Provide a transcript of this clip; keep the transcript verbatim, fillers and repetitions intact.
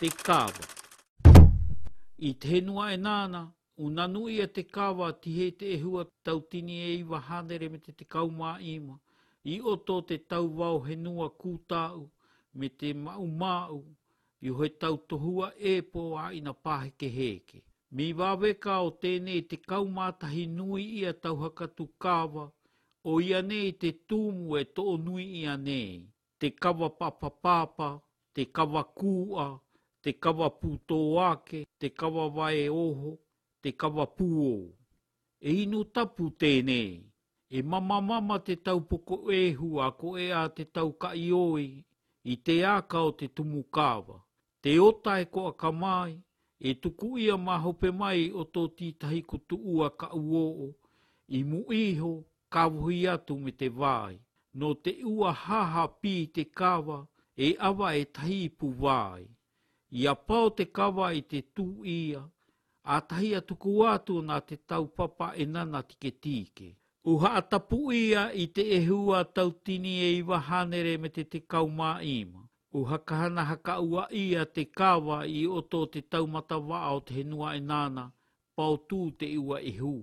Te Kawa. I te henua e nāna, unanu ia te kawa tihe te ehua tau tini e iwa hanere me te tekau mā ima, i oto te tau wao henua kūtāu me te maumāu, i hoe tau tohua e pō a ina pāheke hēke. Mi waweka o tēnei te kaumātahi nui ia tauhakatu kawa, o ia nei te tūmu e tō nui ia nei, te kawa papapāpā, te kawa kūa, te kawa pūtō ake, te kawa wae oho, te kawa pūō. E inu tapu tēnei, e mamamama te taupoko ehu a ko e a te tau kai i te aka o te tumu kawa. Te ota e ko akamai, e tuku ia mahope mai o tō tītahi kutu ua ka uoo, i mu iho, ka wohi atu me te vai. No te ua haha pi te kawa, e awa e tahi ipu vai. I a pao te kawa i te tū ia, a tahi a tuku atu nā te tau papa e nana tike tike. Uha atapu ia i te ehua tau tini e iwa hanere me te te kaumā ima. Uha kahana haka ua ia te kawa i oto te taumata waa o te henua e nāna, pao tū te ua i hū.